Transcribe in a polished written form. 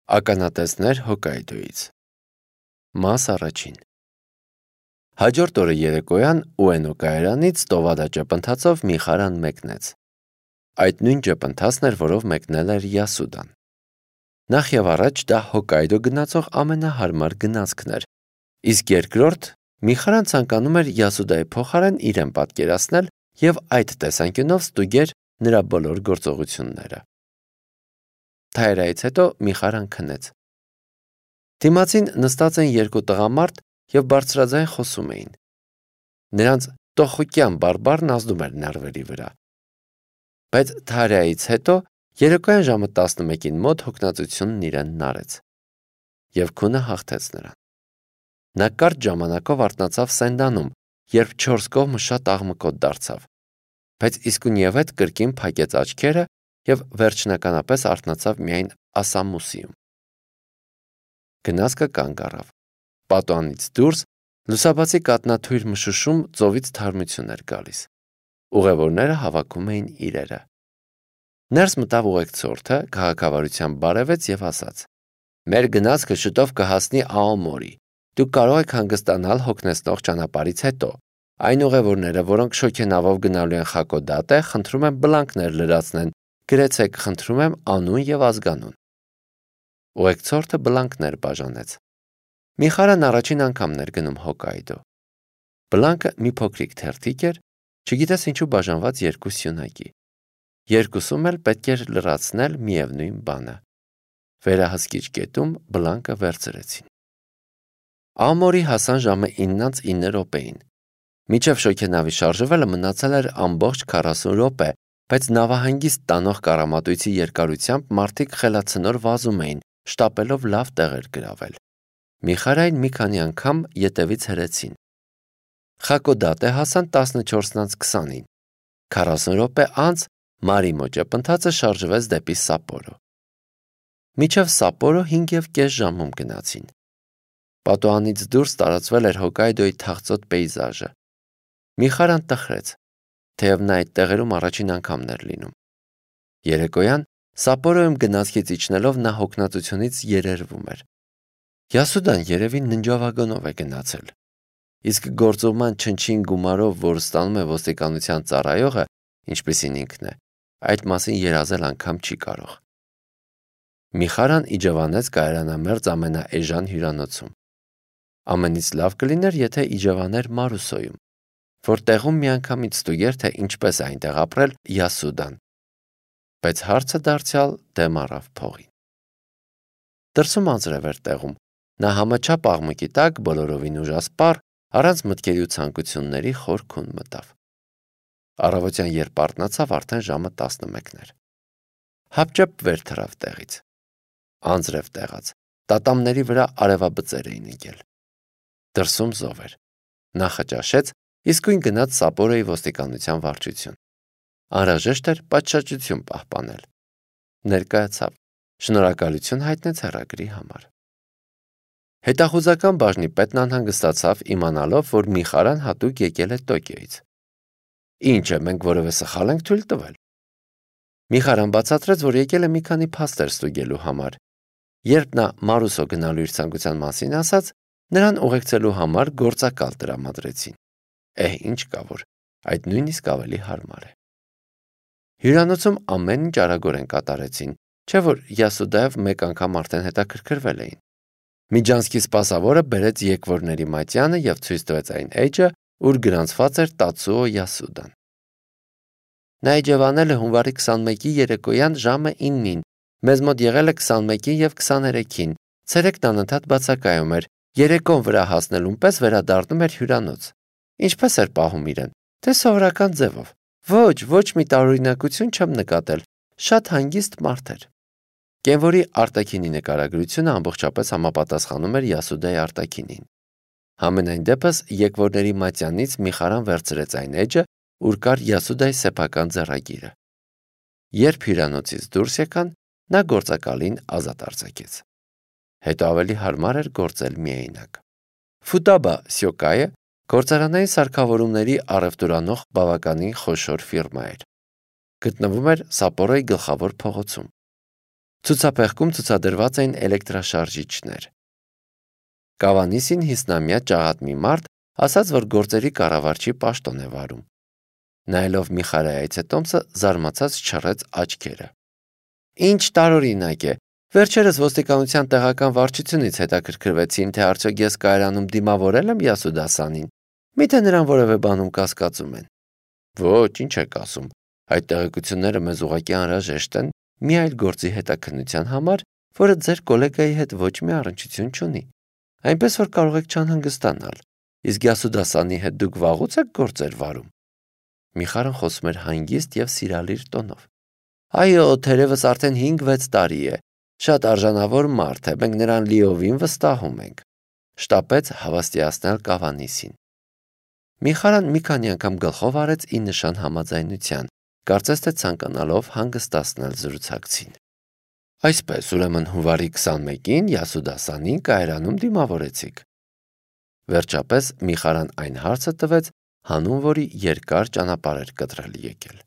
Ականատեսներ Հոկկայդոյից։ Մաս առաջին։ Հաջորդ օրը երեկոյան Ուենո կայարանից Տովադա ճպընթացով մի խարան մեկնեց։ Այդ նույն ճպընթացն էր, որով մեկնել էր Յասուդան։ Նախ եւ առաջ դա Հոկկայդո գնացող ամենահարմար գնացքն էր, իսկ երկրորդ մի խարան ցանկանում էր Յասուդայի փոխարեն իրեն պատկերացնել եւ այդ տեսանկյունով ստուգեր նրա բոլոր գործողությունները։ Թայրայից հետո մի խարան քնեց։ Դիմացին նստած են երկու տղամարդ եւ բարձրաձայն խոսում էին։ Նրանց տոխուկյան բարբառն ազդում էր նարվերի վրա։ Բայց Թայրայից հետո երեկոյան ժամը 11-ին մոտ հոգնածությունն իրեն նարեց եւ քունը հաղթեց նրան։ Նա կարճ ժամանակով արթնացավ Սենդանում, երբ 4 կողմը շատ աղմկոտ դարձավ, բայց իսկույնև հետ կրկին փակեց աչքերը եւ վերջնականապես արթնացավ միայն Ասամուսիում։ Գնացքը կանգ առավ։ Պատուհանից դուրս լուսաբացի կատնաթույր մշուշում ծովից թարմություն էր գալիս։ Ուղևորները հավաքում էին իրերը։ Ներս մտավ ուղեկցորդը, քաղաքավարությամբ բարևեց եւ ասաց. «Մեր գնացքը շուտով կհասնի Աոմորի։ Դուք կարող եք հանգստանալ հոգնեցնող ճանապարհից հետո։ Այն ուղևորները, որոնք շոգենավով գնալու են Խակոդատե, խնդրում եմ բլանկներ լրացնեն, գրեցեք, խնդրում եմ անուն եւ ազգանուն»։ Ուղեկցորդը բլանկներ բաժանեց։ Մի խարան առաջին անգամն էր գնում Հոկկայդո։ Բլանկը մի փոքրիկ թերթիկ էր, չգիտես ինչու բաժանված երկու սյունակի։ Երկուսում էլ պետք էր լրացնել միևնույն բանը։ Վերահսկիչ կետում բլանկը վերցրեցին։ Ամորի հասան ժամը 9:09 րոպեին։ Մինչև շոգենավի շարժվելը մնացել էր ամբողջ 40 րոպե, բայց նավահանգիստ տանող կառամատույցի երկարությամբ մարդիկ խելացնոր վազում էին, շտապելով լավ տեղեր գրավել։ Միխարային մի քանի անգամ ետևից հրեցին։ Խակոդատե հասան 14:20-ին։ 40 րոպե անց Մարիմո ճպընթացը շարժվեց դեպի Սապորո։ Մինչև Սապորո 5.5 ժամում գնացին։ Պատուհանից դուրս տարածվել էր Հոկկայդոյի թախծոտ պեյզաժը։ Միխարան տխրեց, թեև նա այդ տեղերում առաջին անգամն էր լինում։ Երեկոյան Սապորոյում գնացքից իջնելով նա հոգնածությունից երերվում էր։ Յասուդան երևի ննջավագոնով է գնացել։ Իսկ գործուղման չնչին գումարով, որ ստանում է ոստիկանության ծառայողը, ինչպիսին ինքն է, այդ մասին երազել անգամ չի կարող։ Միխարան իջևանեց կայարանամերձ ամենաէժան հյուրանոցում։ Ամենից լավ կլիներ, եթե իջևաներ Մարուսոյում, որ տեղում միանգամից ստուգեր, թե ինչպես է այնտեղ ապրել Յասուդան։ Բայց հարցը դարձյալ դեմ առավ փողին։ Դրսում անձրև էր տեղում։ Նա համաչափ աղմուկի տակ բոլորովին ուժասպառ, առանց մտքերի ու ցանկությունների խոր քուն մտավ։ Առավոտյան երբ արթնացավ, արդեն ժամը 11 էր։ Հապճեպ վեր թռավ տեղից։ Անձրև տեղաց։ Տատամների վրա արևաբծեր էին ընկել։ Դրսում զով էր։ Նա խճաշեց, իսկույն գնաց Սապորոյի ոստիկանության վարչություն։ Անհրաժեշտ էր պատշաճություն պահպանել։ Ներկայացավ։ Շնորհակալություն հայտնեց հեռագրի համար։ Հետախուզական բաժնի պետն անհանգստացավ իմանալով, որ Միխարան հատուկ եկել է Տոկիոյից։ Ինչ է, մենք որևէ սխալ ենք թույլ տվել։ Միխարան բացատրեց, որ եկել է մի քանի փաստեր ստուգելու համար։ Երբ նա Մարուսո գնալու իր ցանկության մասին ասաց, նրան ուղեկցելու համար գործակալ տրամադրեցին։ Ինչ կա որ, այդ նույնիսկ ավելի հարմար է։ Հյուրանոցում ամեն ինչ արագորեն կատարեցին, չէ՞ որ Յասուդայով մեկ անգամ արդեն հետաքրքրվել էին։ Միջանցքի սպասավորը բերեց եկվորների մատյանը եւ ցույց տվեց այն էջը, ուր գրանցված էր Տացուո Յասուդան։ Նա իջևանել է հունվարի 21-ի երեկոյան ժամը 9-ին, մեզ մոտ եղել է 21-ին եւ 23-ին, ցերեկն անընդհատ բացակայում էր, երեկոն վրա հասնելուն պես վերադառնում էր հյուրանոց։ Ինչպես էր պահում իրեն, թե սովորական ձևով։ Ոչ մի տարօրինակություն չեմ նկատել, շատ հանգիստ մարդ էր։ Կենվորի արտաքինի նկարագրությունը ամբողջապես համապատասխանում էր Յասուդայի արտաքինին։ Համենայն դեպս եկվորների մատյանից Միխարան վերցրեց այն էջը, ուր կար Յասուդայի սեփական ձեռագիրը։ Երբ հյուրանոցից դուրս եկան, նա գործակալին ազատ արձակեց։ Հետո ավելի հարմար էր գործել միայնակ։ Ֆուտաբա Սյոկայը գործարանային սարքավորումների առևտուրանող բավականին խոշոր ֆիրմա էր։ Գտնվում էր Սապորոյի գլխավոր փողոցում։ Ցուցափեղկում ցուցադրված էին էլեկտրաշարժիչներ։ Կավանիսին 50-ամյա ճաղատմի մարդ ասաց, որ գործերի կառավարչի պաշտոն է վարում։ Նայելով Միխարայի այցետոմսը զարմացած չռեց աչքերը։ Ինչ տարօրինակ է։ Վերջերս ոստիկանության տեղական վարչությունից հետաքրքրվեցին, թե արդյոք ես կայարանում դիմավորել եմ Յասուդասանին։ Միթե նրան որևէ բանում կասկածում են։ Ոչ, ինչ եք ասում։ Այդ տեղեկությունները մեզ ուղղակի անհրաժեշտ են մի այլ գործի հետաքննության համար, որը ձեր գոլեգայի հետ ոչ մի առնչություն չունի։ Այնպես որ կարող եք չանհանգստանալ։ Իսկ Յասուդասանի հետ դուք վաղուց եք գործեր վարում։ Միխարն խոսում էր հանգիստ եւ սիրալիր տոնով։ Այո, թերևս արդեն 5-6 տարի է։ Շատ արժանավոր մարդ է, մենք նրան լիովին վստահում ենք։ Շտապեց հավաստիացնել Կավանիսին։ Միխարան մի քանի անգամ գլխով արեց ի նշան համաձայնության, կարծես թե ցանկանալով հանգստացնել զրուցակցին։ Այսպես, ուրեմն հունվարի 21-ին Յասուդասանին կայարանում դիմավորեցիք։ Վերջապես Միխարան այն հարցը տվեց, հանուն որի երկար ճանապարհ էր կտրել եկել։